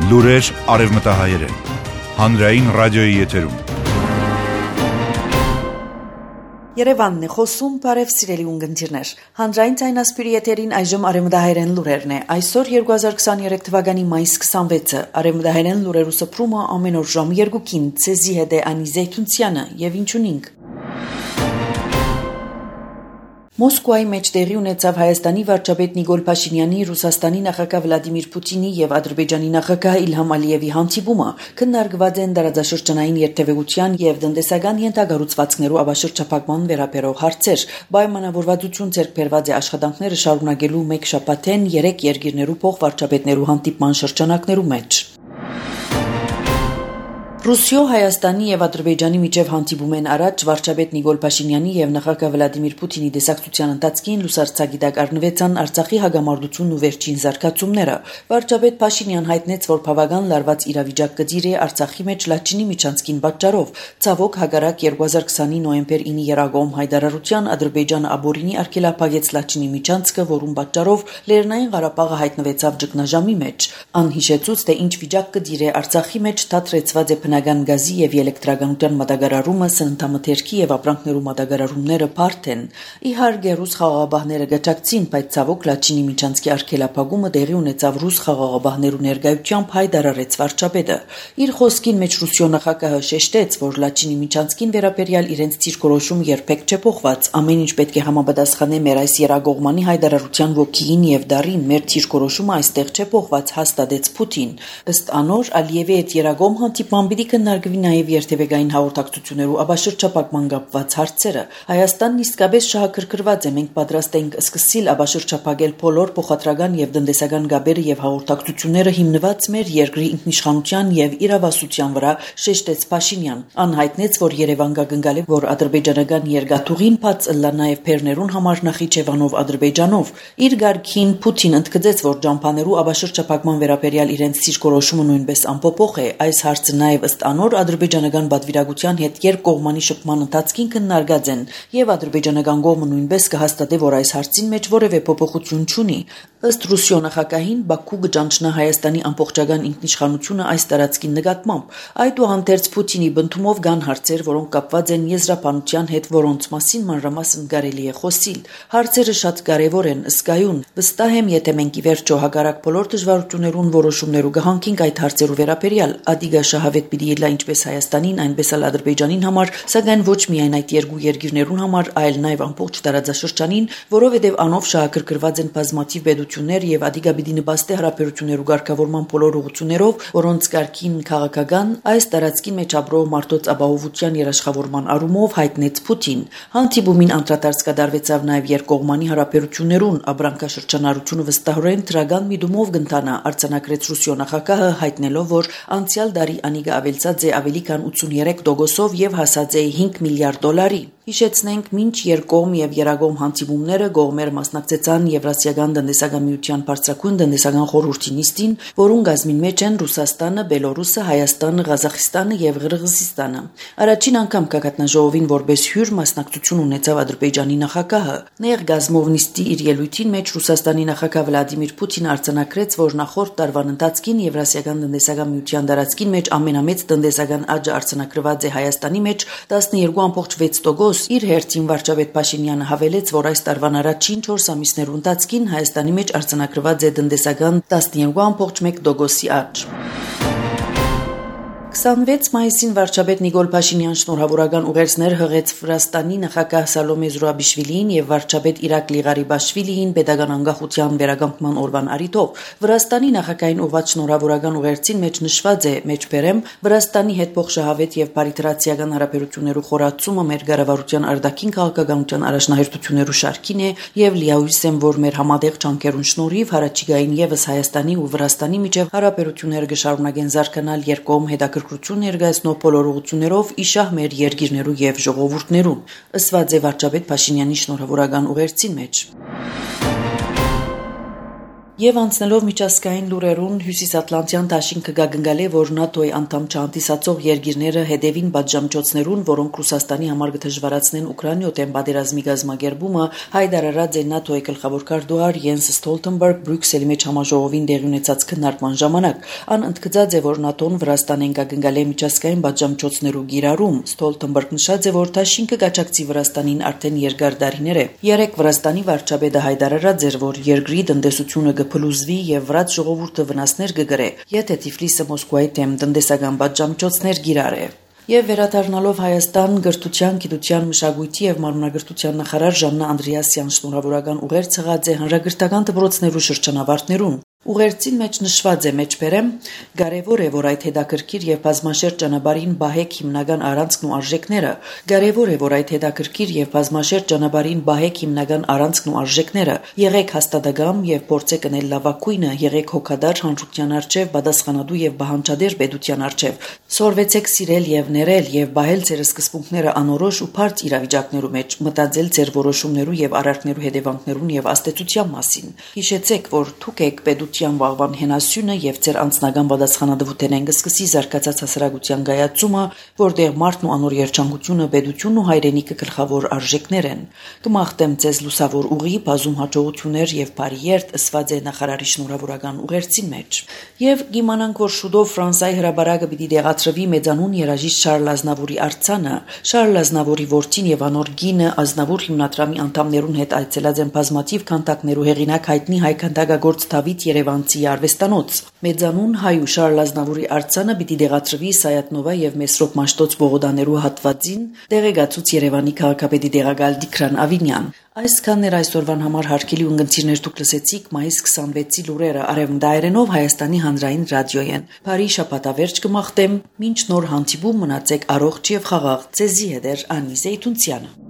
Լուրեր արևմտահայերեն, հանրային ռադիոյի եթերում։ Երևանն է խոսում, բարև սիրելի ունգընտիրներ։ Հանրային ցայնասպիրի եթերին այժմ արևմտահայերեն լուրերն է։ Այսօր 2023 թվականի մայիս 26-ը արևմտահայերեն լուրերու սփռումը ամեն օր ժամը 2-ին ցեզի հետ է Անի Զեյթունցյանը եւ ինչունինք։ Մոսկվայի մեջ տեղի ունեցավ Հայաստանի վարչապետ Նիկոլ Փաշինյանի, Ռուսաստանի նախագահ Վլադիմիր Պուտինի եւ Ադրբեջանի նախագահ Իլհամ Ալիևի հանդիպումը։ Քննարկված են տարածաշրջանային երթևեկության եւ տնտեսական ենթակառուցվածքներու ապաշրջափակման վերաբերող հարցեր։ Պայմանավորվածություն ձեռք բերված է աշխատանքները շարունակելու մեկ շաբաթեն 3 երկիրներու փոխվարչապետներու հանդիպման շրջանակներու մեջ։ Ռուսիո, Հայաստանի եւ Ադրբեջանի միջև հանդիպում են առաջ վարչապետ Նիկոլ Փաշինյանի եւ նախագահ Վլադիմիր Պուտինի դեսակցության ընթացքին լուսարձակիդակ առնվեցան Արցախի հագամարտությունն ու վերջին զարգացումները։ Վարչապետ Փաշինյան հայտնեց, որ բավական լարված իրավիճակ կդիր է Արցախի մեջ Լաչինի միջանցքին պատճառով։ Ցավոք հագարակ 2020-ի նոյեմբեր 9-ի երագոմ հայտարարության Ադրբեջանը աբորինի արգելափակեց Լաչինի միջանցքը, որում պատճառով Լեռնային Ղարաբաղը հայտնվեցավ ճգնաժամի մեջ։ Անհիշեցուց, թե ինչ վիճակ կդիր է Արցախի մեջ թատրեցված է գազի եւ էլեկտրականության մատակարարումը, սննդամթերքի եւ ապրանքներու մատակարարումները բարդ են։ Իհարկե ռուս խաղաղապահները գճակցին, բայց ցավոք Լաչինի միջանցքի արգելափակումը տեղի ունեցավ ռուս խաղաղապահներու ներկայությամբ հայտարարեց վարչապետը։ Իր խոսքին մեջ Ռուսիո նախագահը շեշտեց, որ Լաչինի միջանցքին վերաբերյալ իրենց ցիրկորոշումը երբեք չէ փոխված։ Ամեն ինչ պետք է համապատասխանե մեր այս երագողմանի հայտարարության ոգին եւ դարին։ Մեր ցիրկորոշումը այստեղ չէ փոխված, հաստատեց Պուտին։ Ըստ անոր Ալիևի հետ երագոմ հանդիպման կնարգվի նաև երթևեկային հաղորդակցություններու ապաշրջապակման կապված հարցերը։ Հայաստանն իսկապես շահագրգռված է, մենք պատրաստ ենք սկսել ապաշրջապակել բոլոր փոխադրական եւ տնտեսական գաբերը եւ հաղորդակցությունները հիմնված մեր երկրի ինքնիշխանության եւ իրավասության վրա, շեշտեց Փաշինյան։ Անհայտնեց, որ Երևան կգնգալի, որ ադրբեջանական երկաթուղին բաց ըլլա նաև Փերներուն համար Նախիջևանով Ադրբեջանով։ Իր գարքին Պուտին ընդգծեց, որ ջամփաներու ապաշրջապակման վերաբերյալ իրենց ցիրկորոշումը նույնպես անփոփոխ է։ Այս հարցը նաև անոր ադրբեջանական պատվիրակության հետ երկկողմանի շփման ընթացքին քննարկած են եւ ադրբեջանական կողմը նույնպես կհաստատի, որ այս հարցին մեջ որևէ փոփոխություն չունի։ Ըստ Ռուսիո նախագահին Բաքու կճանչնա Հայաստանի ամբողջական ինքնիշխանությունը այս տարածքի նկատմամբ։ Այդուհանդերձ Պուտինի բնդումով կան հարցեր, որոնք կապված են եզրափանության հետ, որոնց մասին մանրամասն կարելի է խոսել։ Հարցերը շատ կարևոր են, ըսկայուն։ Վստահ եմ, եթե մենք ի վերջո հակառակ բոլոր դժվարություններուն որոշումներու կհանքինք այդ հարցերու վերաբերյալ, ադիգա շահավետ պիտի ելա ինչպես Հայաստանին, այնպես էլ Ադրբեջանին համար, սակայն ոչ միայն այդ երկու երկիրներուն համար, այլ նաև ամբողջ տարածաշրջանին, որովհետև անով շահագրգռված են բազմաթիվ պետություններ եւ ադիգա պիտի նպաստի հարաբերություններու ղեկավարման բոլոր ուղղություններով, որոնց կարգին քաղաքական այս տարածքին մեջ ապրող մարդոց ապահովության երաշխավորման առումով հայտնեց Պուտին։ Հանդիպումին անդրադարձ կդարվեցավ նաև երկկողմանի հարաբերություններուն, ապրանքաշրջանառությունը վստահորեն դրական միտումով կընթանա, արձանագրեց Ռուսիո նախագահը, հայտնելով, որ անցյալ տարի անիգա ավելցած է ավելի քան 83%-ով եւ հասած է $5 միլիարդ։ Հիշեցնենք, մինչ երկկողմ եւ երագողմ հանդիպումները կողմերը մասնակցեցան Եվրասիական տնտեսական միության բարձրագույն տնտեսական խորհրդի նիստին, որուն գազմին մեջ են Ռուսաստանը, Բելորուսը, Հայաստանը, Ղազախստանը եւ Ղրղզստանը։ Առաջին անգամ կակատնաժողովին որպես հյուր մասնակցություն ունեցավ Ադրբեջանի նախագահը։ Նեղ գազմով նիստի իր ելույթին մեջ Ռուսաստանի նախագահ Վլադիմիր Պուտինը արձանագրեց, որ նախորդ տարվան ընթացքին Եվրասիական տնտեսական միության տարածքին մեջ ամենամեծ տնտեսական աճը արձանագրված է Հայաստանի մեջ 12.6%։ Իր հերթին վարչապետ Փաշինյանը հավելեց, որ այս տարվան առաջին 4 ամիսներու ընթացքին Հայաստանի մեջ արձանագրված է տնտեսական 12.1% աճ։ 26 մայիսին վարչապետ Նիկոլ Փաշինյան շնորհավորական ուղերձներ հղեց Վրաստանի նախագահ Սալոմե Զուրաբիշվիլիին եւ վարչապետ Իրակլի Ղարիբաշվիլիին պետական անկախության վերականգնման օրվան առիթով։ Վրաստանի նախագահային ուղղված շնորհավորական ուղերձին մեջ նշված է. «Մեջբերեմ Վրաստանի հետ փոխշահավետ եւ բարիտրացիական հարաբերություններու խորացումը մեր կառավարության արտաքին քաղաքականության առաջնահերթություններու շարքին է եւ լիահույս եմ, որ մեր համատեղ ջանքերուն շնորհիվ հարաճիգային եւս Հայաստանի ու Վրաստանի միջև հարաբերությունները կշարունակեն զարգանալ երկկողմ հետաքրքրություն ներկայացնող բոլոր ուղղություններով իշահ մեր երկիրներու եւ ժողովուրդներուն», ըսված է վարչապետ Փաշինյանի շնորհավորական ուղերձին մեջ։ Եվ անցնելով միջազգային լուրերուն հյուսիսատլանտյան դաշինքը գագնգալե, որ ՆԱՏՕ-ի անդամ չհանդիսացող երկիրները հետևին պատժամիջոցներուն, որոնք Ռուսաստանի համար կդժվարացնեն Ուկրաինայոթեն պատերազմի գազմագերբումը, հայտարարած է ՆԱՏՕ-ի գլխավոր քարտուղար Յենս Ստոլտենբերգ Բրյուսելի մեջ համաժողովին տեղի ունեցած քննարկման ժամանակ։ Ան ընդգծած է, որ ՆԱՏՕ-ն Վրաստանեն գագնգալե միջազգային պատժամիջոցներու գիրառում։ Ստոլտենբերգ նշած է, որ դաշինքը կաջակցի Վրաստանին արդեն երկար տարիներ է։ Երեք Վրաստանի վարչապետը հայտարարած էր, որ երկրի տնտեսությունը փլուզվի եւ վրաց ժողովուրդը վնասներ կգրե, եթե Թիֆլիսը Մոսկվայի դեմ տնտեսական պատժամիջոցներ գիրառե։ Եվ վերադառնալով Հայաստան, գրթության, գիտության, մշակույթի եւ մարմնագրթության նախարար Ժաննա Անդրեասյան շնորհավորական ուղեր ցղած է հանրագրթական դպրոցներու շրջանավարտներուն։ Ուղերձին մեջ նշված է մեջբերեմ, կարևոր է, որ այդ հետաքրքիր եւ բազմաշերտ ճանապարհին բահեք հիմնական առանցքն ու արժեքները, կարևոր է, որ այդ հետաքրքիր եւ բազմաշերտ ճանապարհին բահեք հիմնական առանցքն ու արժեքները, եղեք հաստատակամ եւ փորձեք կնել լավակույնը, եղեք հոգադար հանրության արչեւ, պատասխանատու եւ բահանջադեր պետության արչեւ, սորվեցեք սիրել եւ ներել եւ բահել ձեր սկզբունքները անորոշ ու բարձ իրավիճակներու մեջ, մտածել ձեր որոշումներու եւ արարքներու հետևանքներուն եւ աստեցության մասին։ Հիշեցեք, որ դուք եք պետության վաղվան հենասյունը եւ ձեր անձնական պատասխանատվութեն են կսկսի զարգացած հասարակության գայացումը, որտեղ մարդն ու անոր երջանկությունը, պետությունն ու հայրենիքը գլխավոր արժեքներ են։ Կմաղթեմ ձեզ լուսավոր ուղի, բազում հաջողություններ եւ բարի երթ, ըսված է նախարարի շնորհավորական ուղերձի մեջ։ Եվ կիմանանք, որ շուտով Ֆրանսիայի հրաբարակը պիտի դեղացրվի մեծանուն երաժիշտ Շարլ Ազնավուրի արձանը։ Շարլ Ազնավուրի որդին եւ անոր գինը Ազնավուր հիմնադրամի անդամներուն հետ այցելած են բազմաթիվ քանդակներու հեղինակ հայտնի հայ քանդակագործ Դավիթ Երևանցի արվեստանոց։ Մեծանուն հայու Շարլ Ազնավուրի արձանը պիտի դեղացրվի Սայաթնովա եւ Մեսրոպ Մաշտոց Բողոդաներու հատվածին, դեղեկացուց Երևանի քաղաքապետի դեղակալ Դիքրան Ավինյան։ Այսքանն էր այսօրվան համար հարգելի ունգընտիրներ, դուք լսեցիք մայիս 26-ի լուրերը Արևմտայերենով Հայաստանի հանրային ռադիոյեն։ Բարի շաբաթավերջ կմաղթեմ, մինչ նոր հանդիպում մնացեք առողջ եւ խաղաղ։ Ձեզի հետ էր Անի Զեյթունցյանը։